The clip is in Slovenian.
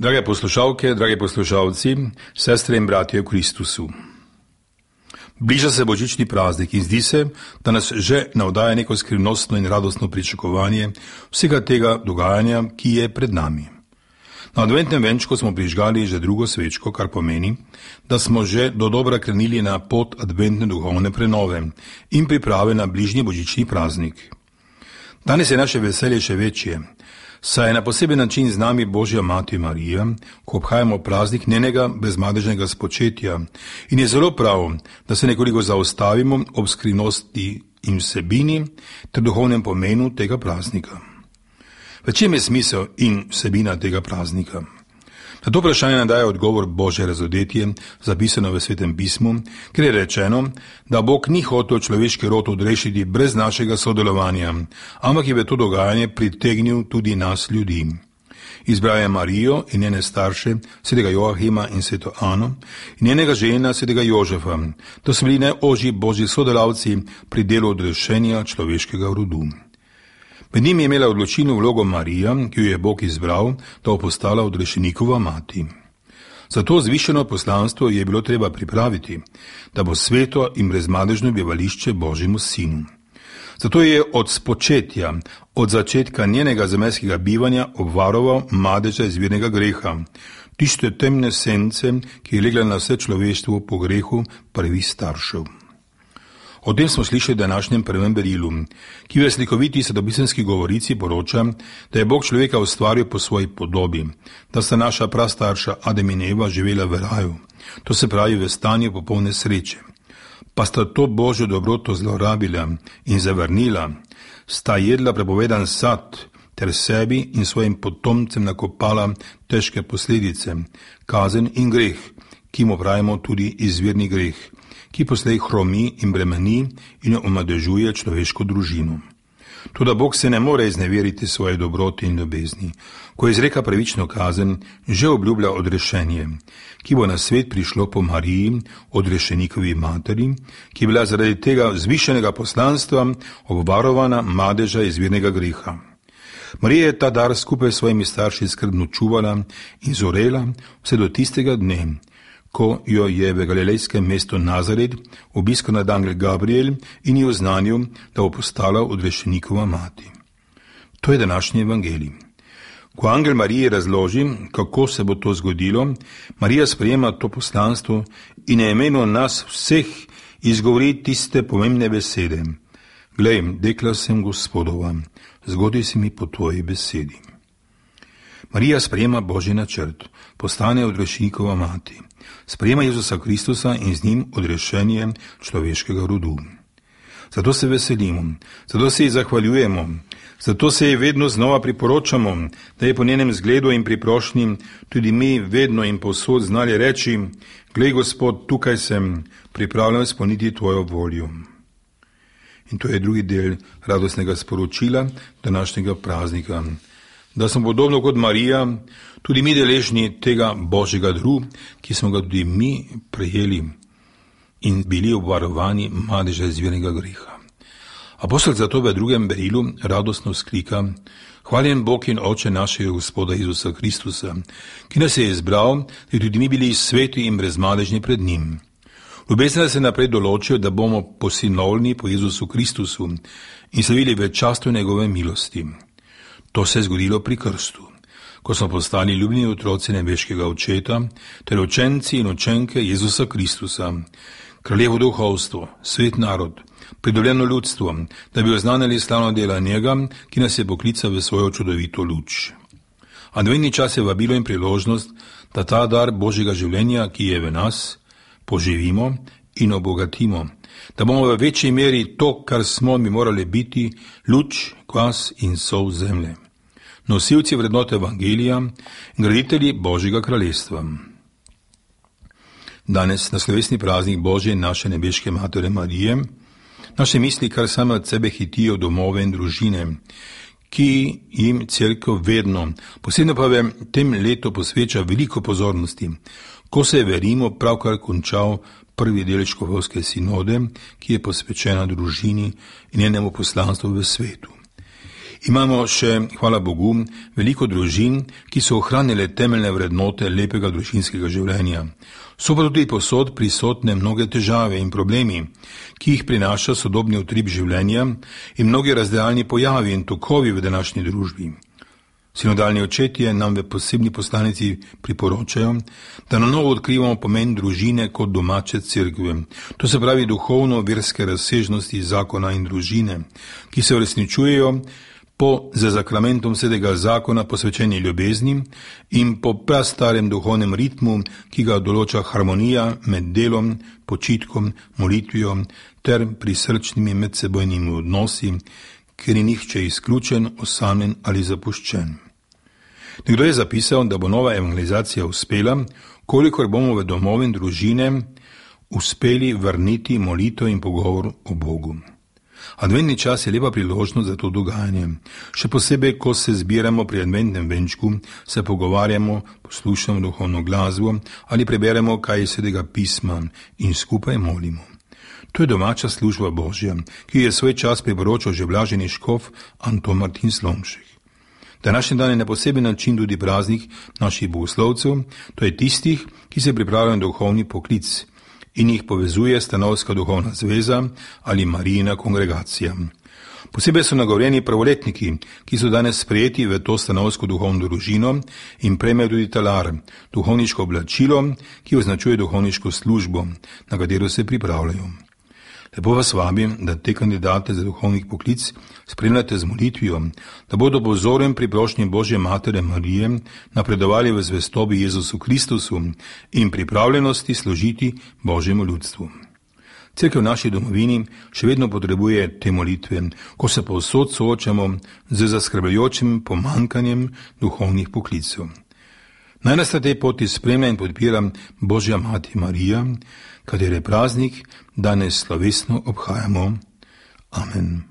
Drage poslušalke, dragi poslušalci, sestre in bratje v Kristusu. Bliža se božični praznik in zdi se, da nas že navdaja neko skrivnostno in radostno pričakovanje vsega tega dogajanja, ki je pred nami. Na adventnem venčku smo prižgali že drugo svečko, kar pomeni, da smo že dodobra krenili na pot adventne duhovne prenove in priprave na bližnji božični praznik. Danes je naše veselje še večje, saj je na poseben način z nami Božja Mati Marija, ko obhajamo praznik njenega brezmadežnega spočetja in je zelo prav, da se nekoliko zaustavimo ob skrivnosti in vsebini ter duhovnem pomenu tega praznika. V čem je smisel in vsebina tega praznika? Na to vprašanje nam daje odgovor Božje razodetje, zapisano v Svetem pismu, kjer je rečeno, da Bog ni hotel človeški rod odrešiti brez našega sodelovanja, ampak je v to dogajanje pritegnil tudi nas ljudi. Izbral je Marijo in njene starše, svetega Joachima in sveto Ano, in njenega žena, svetega Jožefa, da so bili najožji Božji sodelavci pri delu odrešenja človeškega rodu. Med njim je imela odločilno vlogo Marija, ki jo je Bog izbral, da bo postala odrešenikova mati. Za to zvišeno poslanstvo je bilo treba pripraviti, da bo sveto in brezmadežno bivališče Božjemu sinu. Zato je od spočetja, od začetka njenega zemeljskega bivanja obvaroval madeža izvirnega greha, tiste temne sence, ki je legla na vse človeštvo po grehu prvih staršev. O tem smo slišali v današnjem prvem berilu, ki v slikoviti svetopisemski govorici poroča, da je Bog človeka ustvaril po svoji podobi, da sta naša prastarša Adam in Eva živela v raju, to se pravi v stanju popolne sreče. Pa sta to Božjo dobroto zlorabila in zavrnila, sta jedla prepovedan sad ter sebi in svojim potomcem nakopala težke posledice, kazen in greh, ki mu pravimo tudi izvirni greh, ki poslej hromi in bremeni in omadežuje človeško družino. Toda Bog se ne more izneveriti svoje dobrote in ljubezni. Ko izreka pravično kazen, že obljublja odrešenje, ki bo na svet prišlo po Mariji, odrešenikovi materi, ki je bila zaradi tega zvišenega poslanstva obvarovana madeža izvirnega greha. Marija je ta dar skupaj s svojimi starši skrbno čuvala in zorela vse do tistega dne, ko jo je v galilejskem mestu Nazaret obiskal nadangel Gabriel in ji oznanil, da bo postala odrešenikova mati. To je današnji evangelij. Ko angel Mariji razloži, kako se bo to zgodilo, Marija sprejema to poslanstvo in na imenu nas vseh izgovori tiste pomembne besede. Glej, dekla sem Gospodova, zgodi se mi po tvoji besedi. Marija sprejema Božji načrt, postane odrešenikova mati. Sprejema Jezusa Kristusa in z njim odrešenje človeškega rodu. Zato se veselimo, zato se ji zahvaljujemo, zato se ji vedno znova priporočamo, da je po njenem zgledu in priprošnji tudi mi vedno in povsod znali reči: glej, Gospod, tukaj sem, pripravljen izpolniti tvojo voljo. In to je drugi del radostnega sporočila današnjega praznika. Da smo podobno kot Marija, tudi mi deležni tega Božjega daru, ki smo ga tudi mi prejeli in bili obvarovani madeža izvirnega greha. Apostol zato v drugem berilu radostno vzklika: hvaljen Bog in Oče našega Gospoda Jezusa Kristusa, ki nas je izbral, da tudi mi bili sveti in brezmadežni pred njim. Ljubezen nas je naprej določil, da bomo posinovljeni po Jezusu Kristusu in slavili v častu njegove milosti. To se je zgodilo pri krstu, ko smo postali ljubljeni otroci nebeškega Očeta ter učenci in učenke Jezusa Kristusa, kraljevo duhovstvo, svet narod, pridobljeno ljudstvo, da bi oznanili slavno dela njega, ki nas je poklical v svojo čudovito luč. Adventni čas je vabilo in priložnost, da ta dar Božjega življenja, ki je v nas, poživimo in obogatimo, da bomo v večji meri to, kar smo mi morali biti, luč, kvas in sol zemlje. Nosilci vrednote evangelija in graditelji Božjega kraljestva. Danes, na slovesni praznik Božje in naše nebeške matere Marije, naše misli kar same od sebe hitijo domove in družine, ki jim cerkev vedno, posebno pa v tem letu posveča veliko pozornosti, ko se je, verimo, pravkar končal prvi del škofovske sinode, ki je posvečena družini in njenemu poslanstvu v svetu. Imamo še, hvala Bogu, veliko družin, ki so ohranile temeljne vrednote lepega družinskega življenja. So pa tudi povsod prisotne mnoge težave in problemi, ki jih prinaša sodobni utrip življenja in mnogi razdeljeni pojavi in tokovi v današnji družbi. Sinodalni očetje nam v posebni poslanici priporočajo, da na novo odkrivamo pomen družine kot domače cerkve, to se pravi duhovno-verske razsežnosti zakona in družine, ki se uresničujejo po za zakramentom svetega zakona posvečeni ljubezni in po prastarem duhovnem ritmu, ki ga določa harmonija med delom, počitkom, molitvijo ter prisrčnimi medsebojnimi odnosi, ker je nihče izključen, osamljen ali zapuščen. Nekdo je zapisal, da bo nova evangelizacija uspela, kolikor bomo v domove in družine uspeli vrniti molitev in pogovor o Bogu. Adventni čas je lepa priložnost za to dogajanje. Še posebej, ko se zbiramo pri adventnem venčku, se pogovarjamo, poslušamo duhovno glasbo ali preberemo kaj iz svetega pisma in skupaj molimo. To je domača služba Božja, ki je svoj čas priporočal že blaženi škof Anton Martin Slomšek. Današnji dan je na poseben način tudi praznik naših bogoslovcev, to je tistih, ki se pripravljajo na duhovni poklic in jih povezuje Stanovska duhovna zveza ali Marijina kongregacija. Posebej so nagovorjeni pravoletniki, ki so danes sprejeti v to stanovsko duhovno družino in prejmejo tudi talar, duhovniško oblačilo, ki označuje duhovniško službo, na katero se pripravljajo. Lepo vas vabim, da te kandidate za duhovni poklic spremljate z molitvijo, da bodo po vzoru pri prošnji Božje Matere Marije napredovali v zvestobi Jezusu Kristusu in pripravljenosti služiti Božjemu ljudstvu. Cerkev v naši domovini še vedno potrebuje te molitve, ko se povsod soočamo z zaskrbljujočim pomanjkanjem duhovnih poklicev. Naj nas na tej poti spremlja in podpira Božja Mati Marija, katere praznik danes slovesno obhajamo. Amen.